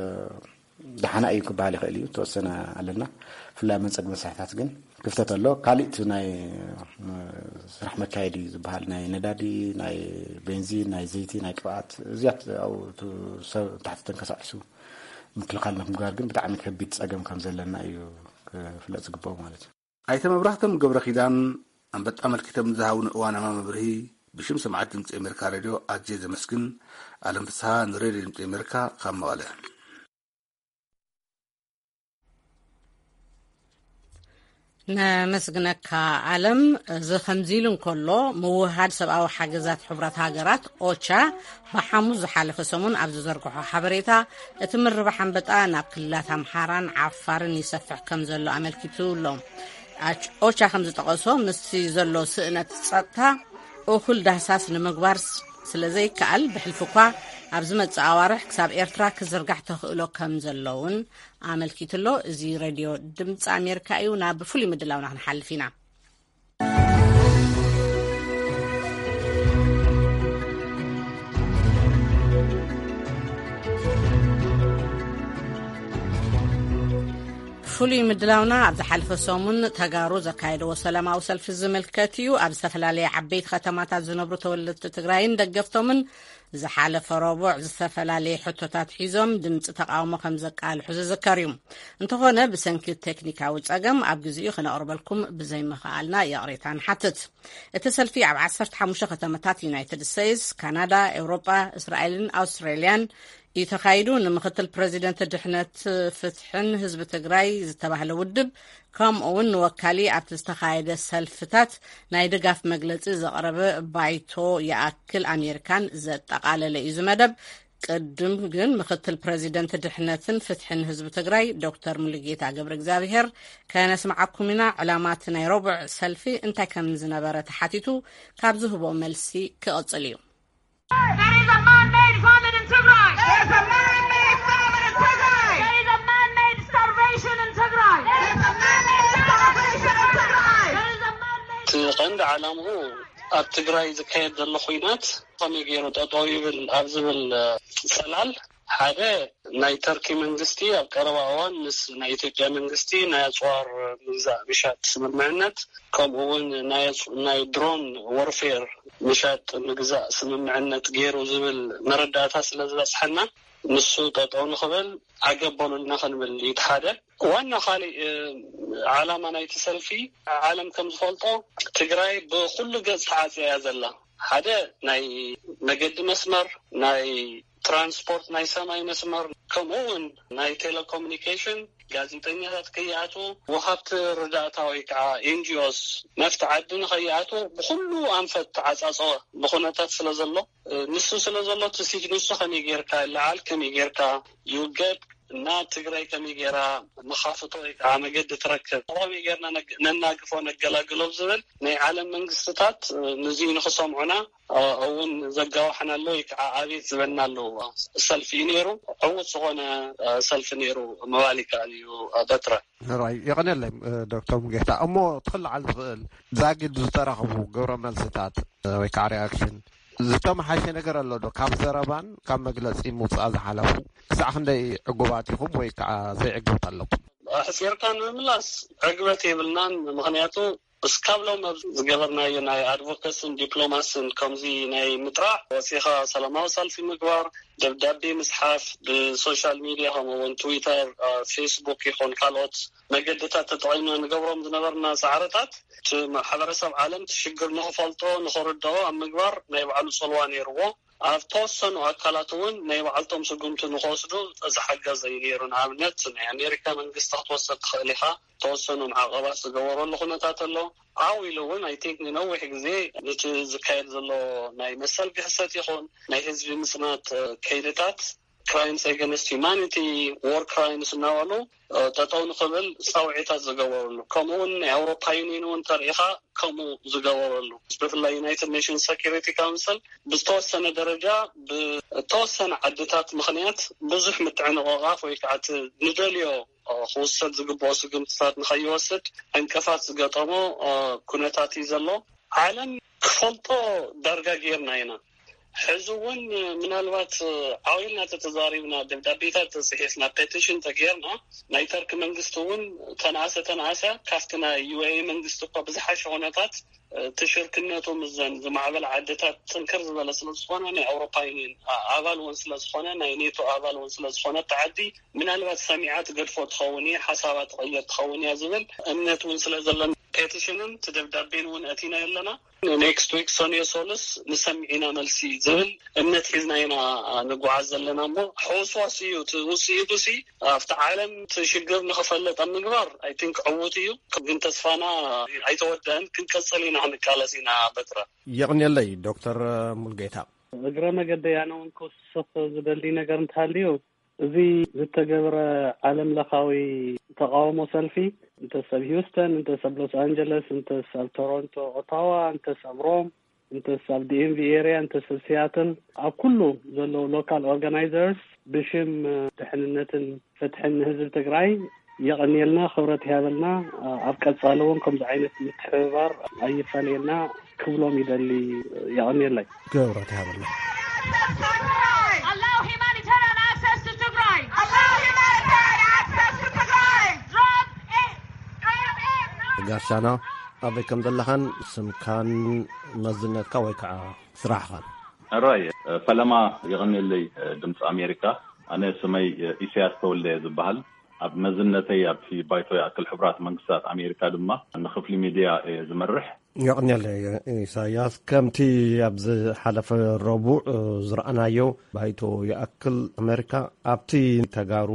ደሓና እዩ ክበሃል ይኽእል እዩ። ተወሰነ ኣለና። ብፍላይ ኣብ መንጸግ መስርሕታት ግን ክፍተት ኣሎ። ካሊእ እቲ ናይ፣ እ፣ ስራሕ መካየዲ ዝበሃል ናይ ነዳዲ፣ ናይ ቤንዚን፣ ናይ ዘይቲ፣ ናይ ቅብኣት እዚያት ኣብኡ እቲ ሰብ ታሕቲ ተንቀሳቒሱ ምክልኻል ንምግባር ግን ብጣዕሚ ከቢድ ጸገም ከም ዘለና እዩ ክፍለጥ ዝግብኦ ማለት እዩ። ኣይተ መብራህቶም ገብረ ኪዳን ኣንበጣ ኣመልኪቶም ዝሃቡን እዋናማ መብርሂ ብሽም ሰማዕቲ ድምፂ ኣሜሪካ ሬድዮ ኣዝየ ዘመስግን። ኣለም ፍስሃ ንሬድዮ ድምፂ ኣሜሪካ ካብ መቐለ። ነመስግነካ ኣለም። እዚ ከምዚ ኢሉ እንከሎ፣ ምውህሃድ ሰብኣዊ ሓገዛት ሕቡራት ሃገራት ኦቻ ብሓሙስ ዝሓለፈ ሰሙን ኣብ ዝዘርግሖ ሓበሬታ፣ እቲ ምርባሕ ኣንበጣ ናብ ክልላት ኣምሓራን ዓፋርን ይሰፍሕ ከም ዘሎ ኣመልኪቱ ኣሎ። ኣች-፣ ኦቻ ከም ዝጠቐሶ፣ ምስቲ ዘሎ ስእነት ጸጥታ እኹል ዳህሳስ ንምግባር ስ-፣ ስለ ዘይከኣል፣ ብሕልፊ እኳ ኣብ ዝመጽእ ኣዋርሕ ክሳብ ኤርትራ ክዝርጋሕ ተኽእሎ ከም ዘሎ እውን ኣመልኪቱ ኣሎ። እዚ ሬድዮ ድምፂ ኣሜሪካ እዩ። ናብ ፍሉይ ምድላውና ክንሓልፍ ኢና። ፍሉይ ምድላውና ኣብ ዝሓለፈ ሰሙን ተጋሩ ዘካየድዎ ሰላማዊ ሰልፊ ዝምልከት እዩ። ኣብ ዝተፈላለየ ዓበይቲ ከተማታት ዝነብሩ ተወለድቲ ትግራይን ደገፍቶምን ዝሓለፈ ረቡዕ ዝተፈላለየ ሕቶታት ሒዞም ድምፂ ተቃውሞ ከም ዘቃልሑ ዝዝከር እዩ። እንተኾነ፣ ብሰንኪ ቴክኒካዊ ጸገም ኣብ ግዜኡ ክነቕርበልኩም ብዘይምኽኣልና ይቕሬታ ንሓትት። እቲ ሰልፊ ኣብ ዓሰርተ ሓሙሽተ ከተማታት ዩናይትድ ስቴትስ፣ ካናዳ፣ ኤውሮጳ፣ እስራኤልን ኣውስትራልያን እዩ ተኻይዱ። ንምክትል ፕረዚደንት ድሕነት ፍትሕን ህዝቢ ትግራይ ዝተባህለ ውድብ፣ ከምኡ እውን ንወካሊ ኣብቲ ዝተኻየደ ሰልፍታት ናይ ድጋፍ መግለጺ ዘቕረበ ባይቶ ይኣክል ኣሜሪካን ዘጠቓለለ እዩ እዚ መደብ። ቅድም ግን ምክትል ፕረዚደንት ድሕነትን ፍትሕን ህዝቢ ትግራይ ዶክተር ሙሉጌታ ገብረ እግዚኣብሔር ከነስምዓኩም ኢና። ዕላማ እቲ ናይ ረቡዕ ሰልፊ እንታይ ከም ዝነበረ ተሓቲቱ ካብ ዝህቦ መልሲ ክቕጽል እዩ። There is a man-made famine in Tigray. There's a man-made famine in Tigray. There is a man-made starvation in Tigray. There's a man-made starvation in Tigray. There is a man-made እቲ ቀንዲ ዓላምኡ ኣብ ትግራይ ዝካየድ ዘሎ ኹናት ከመይ ገይሩ ጠጠው ይብል ኣብ ዝብል፣ እ፣ ጽላል ሓደ ናይ ተርኪ መንግስቲ ኣብ ቀረባ እዋን ምስ ናይ ኢትዮጵያ መንግስቲ ናይ ኣጽዋር ምግዛእ ምሻጥ ስምምዕነት፣ ከምኡ እውን ናይ ኣጽ-፣ ናይ ድሮን ወርፌር ምሻጥ ምግዛእ ስምምዕነት ገይሩ ዝብል መረዳእታ ስለ ዝበጽሐና፣ ንሱ ጠጠው ንኽብል ዓገብ በሉልና ክንብል እዩ እቲ ሓደ። ዋና ካሊእ፣ እ፣ ዓላማ ናይቲ ሰልፊ፣ ዓለም ከም ዝፈልጦ ትግራይ ብኹሉ ገጽ ተዓጽያ እያ ዘላ። ሓደ ናይ መገዲ መስመር፣ ናይ ትራንስፖርት፣ ናይ ሰማይ መስመር፣ ከምኡ እውን ናይ ቴሌኮሙኒኬሽን፣ ጋዜጠኛታት ከይኣትዉ፣ ወሃብቲ ርዳእታ ወይ ከዓ ኤን ጂ ኦስ ናብቲ ዓዲ ንኸይኣትዉ ብኹሉ ኣንፈት ተዓጻጸወ ብኹነታት ስለ ዘሎ፣ እ፣ ንሱ ስለ ዘሎ እቲ ሲጅን ንሱ ከመይ ጌርካ ይለዓል፣ ከመይ ጌርካ ይውገድ እና ትግራይ ከመይ ጌራ መኻፍቶ ወይ ከዓ መገዲ ትረክብ፣ ከመይ ጌርና ነግ-፣ ነናግፎ ነገላግሎ ዝብል ናይ ዓለም መንግስትታት፣ እ፣ ንዚ ንኽሰምዑና፣ እ፣ እውን ዘጋውሐና ኣሎ ወይ ከዓ ኣቤት ዝበልና ኣሎ ሰልፊ እዩ ነይሩ። ዕዉት ዝኾነ፣ እ፣ ሰልፊ ነይሩ ምባል ይከኣል እዩ፣ እ፣ በትረ። ራይ የቐነለይ፣ እ፣ ዶክተር ሙጌታ። እሞ ትኽልዓል ዝኽእል ዛጊድ ዝተረኽቡ ግብረ መልስታት፣ እ፣ ወይ ከዓ ሪኣክሽን ዝተመሓሸ ነገር ኣሎ ዶ? ካብ ዘረባን ካብ መግለጺ ምውጻእ ዝሓለፉ ክሳዕ ክንደይ ዕጉባት ኢኹም ወይ ከዓ ዘይዕግብት ኣለኩም? ኣሕጺርካ ንምምላስ ዕግበት የብልናን። ምኽንያቱ እስካብ ሎም ኣብ ዝገበርናዮ ናይ ኣድቮካሲን ዲፕሎማሲን ከምዚ ናይ ምጥራዕ ወፂኻ ሰላማዊ ሰልፊ ምግባር፣ ደብዳቤ ምፅሓፍ፣ ብሶሻል ሚድያ ከምኡ እውን ትዊተር፣ አ፣ ፌስቡክ ይኹን ካልኦት መገድታት ተጠቒምና ንገብሮም ዝነበርና ፃዕርታት እቲ ማሕበረሰብ ዓለም እቲ ሽግር ንኽፈልጦ ንኽርድኦ ኣብ ምግባር ናይ ባዕሉ ፅልዋ ነይርዎ። ኣብ ተወሰኑ ኣካላት እውን ናይ ባዕልቶም ስጉምቲ ንኽወስዱ ዝሓገዘ እዩ ነይሩ። ንኣብነት ናይ ኣሜሪካ መንግስቲ ክትወስድ ትኽእል ኢኻ። ተወሰኑ ማዕቐባት ዝገበረሉ ኩነታት ኣሎ። ዓው ኢሉ እውን ኣይ ቲንክ ንነዊሕ ግዜ ነቲ ዝካየድ ዘሎ ናይ መሰል ግህሰት ይኹን ናይ ህዝቢ ምፅናት፣ እ፣ ከይድታት crimes against humanity፣ war crimes እናበሉ ጠጠው ንኽብል ፃውዒታት ዝገበረሉ፣ ከምኡ እውን ናይ ኣውሮፓ ዩኒየን እውን ተሪኢኻ ከምኡ ዝገበረሉ፣ ብፍላይ ዩናይትድ ኔሽንስ ሰኪሪቲ ካውንስል ብዝተወሰነ ደረጃ ብተወሰነ ዓድታት ምኽንያት ብዙሕ ምትዕንቕቓፍ ወይ ከዓ እቲ ንደልዮ ክውሰድ ዝግብኦ ስጉምትታት ንኸይወስድ ዕንቅፋት ዝገጠሞ ኩነታት እዩ ዘሎ። ዓለም ክፈልጦ ዳርጋ ጌርና ኢና። ሕዚ እውን ምናልባት ዓዊልና ተተዛሪብና፣ ደብዳቤታት ተፅሒፍና፣ ፔቲሽን ተጌርና፣ ናይ ተርኪ መንግስቲ እውን ተነኣሰ ተነኣሰ ካብቲ ናይ ዩ ኤ ኢ መንግስቲ እኳ ብዝሓሸ ኩነታት እቲ ሽርክነቱ ምስዘን ዝማዕበላ ዓድታት ጥንክር ዝበለ ስለ ዝኾነ፣ ናይ ኣውሮፓ ዩኒየን ኣባል እውን ስለ ዝኾነ፣ ናይ ኔቶ ኣባል እውን ስለ ዝኾነ፣ እቲ ዓዲ ምናልባት ሰሚዓ ትገድፎ ትኸውን እየ፣ ሓሳባ ትቐየር ትኸውን እያ ዝብል እምነት እውን ስለ ዘለን ፔቲሽንን እቲ ደብዳቤን እውን ኣእቲና ኣለና። ኔክስት ዊክ ሰኑዮ ሶሉስ ንሰምዕ ኢና መልሲ ዝብል እምነት ሒዝና ኢና ንጓዓዝ ዘለና እሞ፣ ሕውስዋስ እዩ እቲ ውፅኢቱ ሲ ኣብቲ ዓለም እቲ ሽግር ንኽፈለጥ ኣብ ምግባር ኣይ ቲንክ ዕዉት እዩ። ግን ተስፋና ኣይተወደአን፣ ክንቀፅል ኢና ክንቃለስ ኢና። በትረ። የቕንየለይ ዶክተር ሙልጌታ። እግረ መገደይ ኣነ እውን ክውስኽ ዝደሊ ነገር እንተሃልዩ፣ እዚ ዝተገብረ ዓለም ለኻዊ ተቃውሞ ሰልፊ፣ እንተስ ኣብ ሂውስተን፣ እንተስ ኣብ ሎስ ኣንጀለስ፣ እንተስ ኣብ ቶሮንቶ፣ ኦታዋ፣ እንተስ ኣብ ሮም፣ እንተስ ኣብ ዲ ኤም ቪ ኤሪያ፣ እንተስ ኣብ ሲያትል፣ ኣብ ኩሉ ዘለዉ ሎካል ኦርጋናይዘርስ ብሽም ድሕንነትን ፍትሕን ንህዝቢ ትግራይ የቐንየልና፣ ክብረት ይሃበልና። ኣብ ቀጻሊ እውን ከምዚ ዓይነት ምትሕብባር ኣይፈለየና ክብሎም ይደሊ። የቐንየለይ። ክብረት ይሃበልና። Allow humanitarian access to Tigray. Allow humanitarian access to Tigray. Drop it. Drop it. ጋሻና፣ ኣበይ ከም ዘለኻን ስምካን መዝነትካ ወይ ከዓ ስራሕኻን። ሕራይ፣ ፈለማ የቐንየለይ ድምፂ ኣሜሪካ። ኣነ ስመይ ኢሳያስ ተወልደ እየ ዝበሃል። ኣብ መዝነተይ ኣብቲ ባይቶ ይኣክል ሕቡራት መንግስታት ኣሜሪካ ድማ ንክፍሊ ሚድያ እየ ዝመርሕ። የቐንየለይ ኢሳያስ፣ ከምቲ ኣብ ዝሓለፈ ረቡዕ ዝረኣናዮ፣ ባይቶ ይኣክል ኣሜሪካ ኣብቲ ተጋሩ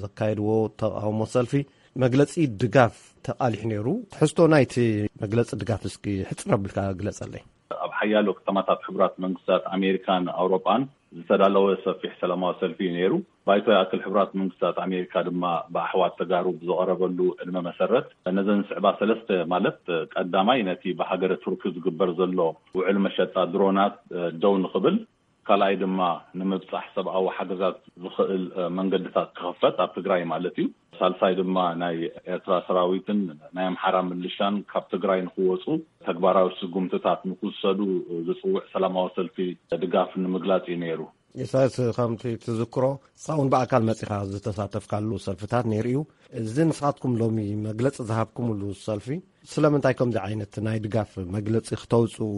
ዘካየድዎ ተቃውሞ ሰልፊ መግለጺ ድጋፍ ተቃሊሑ ነይሩ። ትሕዝቶ ናይቲ መግለጺ ድጋፍ እስኪ ሕጽር ኣቢልካ ግለጸለይ። ኣብ ሓያሎ ከተማታት ሕቡራት መንግስታት ኣሜሪካን ኣውሮጳን ዝተዳለወ ሰፊሕ ሰላማዊ ሰልፊ እዩ ነይሩ። ባይቶ ይኣክል ሕቡራት መንግስታት ኣሜሪካ ድማ ብኣሕዋት ተጋሩ ብዝቐረበሉ ዕድመ መሰረት ነዘን ዝስዕባ ሰለስተ፣ ማለት ቀዳማይ ነቲ ብሃገረ ቱርኪ ዝግበር ዘሎ ውዕል መሸጣ ድሮናት ደው ንኽብል፣ ካልኣይ ድማ ንምብጻሕ ሰብኣዊ ሓገዛት ዝኽእል መንገድታት ክኽፈት ኣብ ትግራይ ማለት እዩ። ሳልሳይ ድማ ናይ ኤርትራ ሰራዊትን ናይ ኣምሓራ ምልሻን ካብ ትግራይ ንክወፁ ተግባራዊ ስጉምትታት ንክውሰዱ ዝፅውዕ ሰላማዊ ሰልፊ ድጋፍ ንምግላፅ እዩ ነይሩ። ኢሳያስ፣ ከምቲ ትዝክሮ፣ ንስኻ እውን ብኣካል መጺኻ ዝተሳተፍካሉ ሰልፍታት ነይሩ እዩ። እዚ ንስኻትኩም ሎሚ መግለጺ ዝሃብኩምሉ ሰልፊ፣ ስለምንታይ ከምዚ ዓይነት ናይ ድጋፍ መግለጺ ክተውጽኡ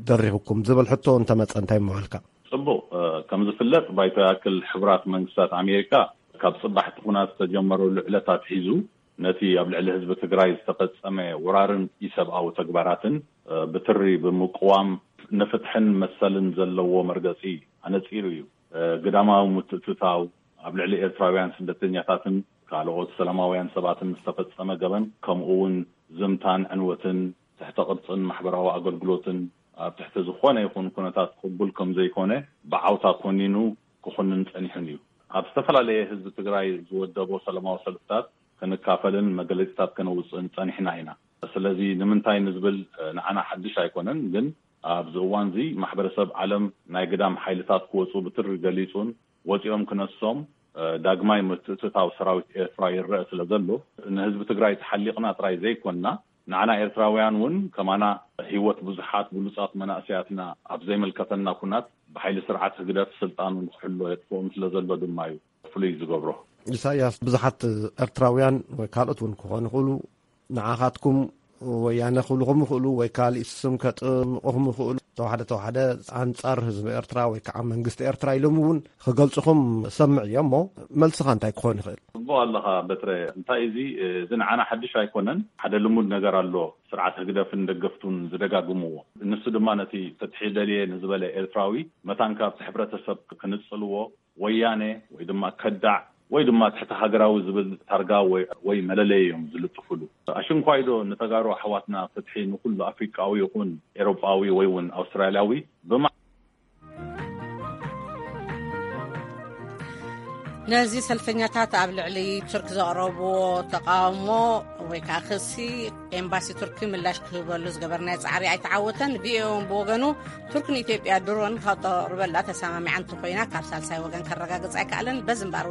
ደሪኹኩም ዝብል ሕቶ እንተመጸ እንታይ ምበልካ? ጽቡቕ። እ፣ ከም ዝፍለጥ፣ ባይቶ ይኣክል ሕቡራት መንግስታት ኣሜሪካ ካብ ጽባሕ እቲ ኹናት ዝተጀመረሉ ዕለት ኣትሒዙ ነቲ ኣብ ልዕሊ ህዝቢ ትግራይ ዝተፈጸመ ወራርን ኢሰብኣዊ ተግባራትን፣ እ፣ ብትሪ ብምቅዋም ንፍትሕን መሰልን ዘለዎ መርገጺ ኣነጺሩ እዩ። እ፣ ግዳማዊ ምትእትታው፣ ኣብ ልዕሊ ኤርትራውያን ስደተኛታትን ካልኦት ሰላማውያን ሰባትን ዝተፈጸመ ገበን፣ ከምኡ እውን ዝምታን ዕንወትን፣ ትሕተ ቅርጽን ማሕበራዊ ኣገልግሎትን ኣብ ትሕቲ ዝኾነ ይኹን ኩነታት ቅቡል ከም ዘይኮነ ብዓውታ ኮኒኑ ክኹንን ጸኒሑን እዩ። ኣብ ዝተፈላለየ ህዝቢ ትግራይ ዝወደቦ ሰላማዊ ሰልፍታት ክንካፈልን መገለጺታት ከነውጽእን ጸኒሕና ኢና። ስለዚ ንምንታይ ንዝብል ንዓና ሓድሽ ኣይኮነን፣ ግን ኣብዚ እዋን እዚ ማሕበረሰብ ዓለም ናይ ግዳም ሓይልታት ክወጹ ብትሪ ገሊጹን ወጺኦም ክነሶም፣ እ፣ ዳግማይ ምትእትታው ሰራዊት ኤርትራ ይረአ ስለ ዘሎ፣ ንህዝቢ ትግራይ ተሓሊቕና ጥራይ ዘይኮንና፣ ንዓና ኤርትራውያን እውን ከማና ህይወት ብዙሓት ብሉጻት መናእሰያትና ኣብ ዘይምልከተና ኩናት ብሓይሊ ስርዓት ህግደፍ ስልጣኑ ንክሕሎ የጥፍኦም ስለ ዘሎ ድማ እዩ ፍሉይ ዝገብሮ። ኢሳያስ፣ ብዙሓት ኤርትራውያን ወይ ካልኦት እውን ክኾኑ ይኽእሉ፣ ንዓኻትኩም ወያነ ክብልኹም ይኽእሉ ወይ ካልእ ስም ከጥምቑኹም ይኽእሉ። ተዋሕደ ተዋሕደ ኣንጻር ህዝቢ ኤርትራ ወይ ከዓ መንግስቲ ኤርትራ ኢሎም እውን ክገልጽኹም ሰምዕ እዮም። እሞ መልስኻ እንታይ ክኾን ይኽእል? ጽቡቕ ኣለኻ በትረ። እንታይ እዚ፣ እዚ ንዓና ሓድሽ ኣይኮነን። ሓደ ልሙድ ነገር ኣሎ፣ ስርዓት ህግደፍን ደገፍቱን ዝደጋግምዎ። ንሱ ድማ ነቲ ፍትሒ ደልየ ንዝበለ ኤርትራዊ መታን ካብቲ ሕብረተሰብ ክንጽልዎ፣ ወያነ ወይ ድማ ከዳዕ ወይ ድማ ትሕቲ ሃገራዊ ዝብል ታርጋ ወይ፣ ወይ መለለይ እዮም ዝልጥፉሉ። ኣሽንኳይዶ ንተጋሩ ኣሕዋትና ፍትሒ ንኩሉ ኣፍሪቃዊ ይኹን ኤሮጳዊ ወይ እውን ኣውስትራልያዊ ብማ- ነዚ ሰልፈኛታት ኣብ ልዕሊ ቱርክ ዘቕረብዎ ተቃውሞ ወይ ከዓ ክሲ ኤምባሲ ቱርኪ ምላሽ ክህበሉ ዝገበርናዮ ጻዕሪ ኣይተዓወተን። ቪኦኤ እውን ብወገኑ ቱርክ ንኢትዮጵያ ድሮን ከተቕርበላ ተሰማሚዓ እንተኮይና ካብ ሳልሳይ ወገን ከረጋግጽ ኣይከኣለን። በዚ እምበኣር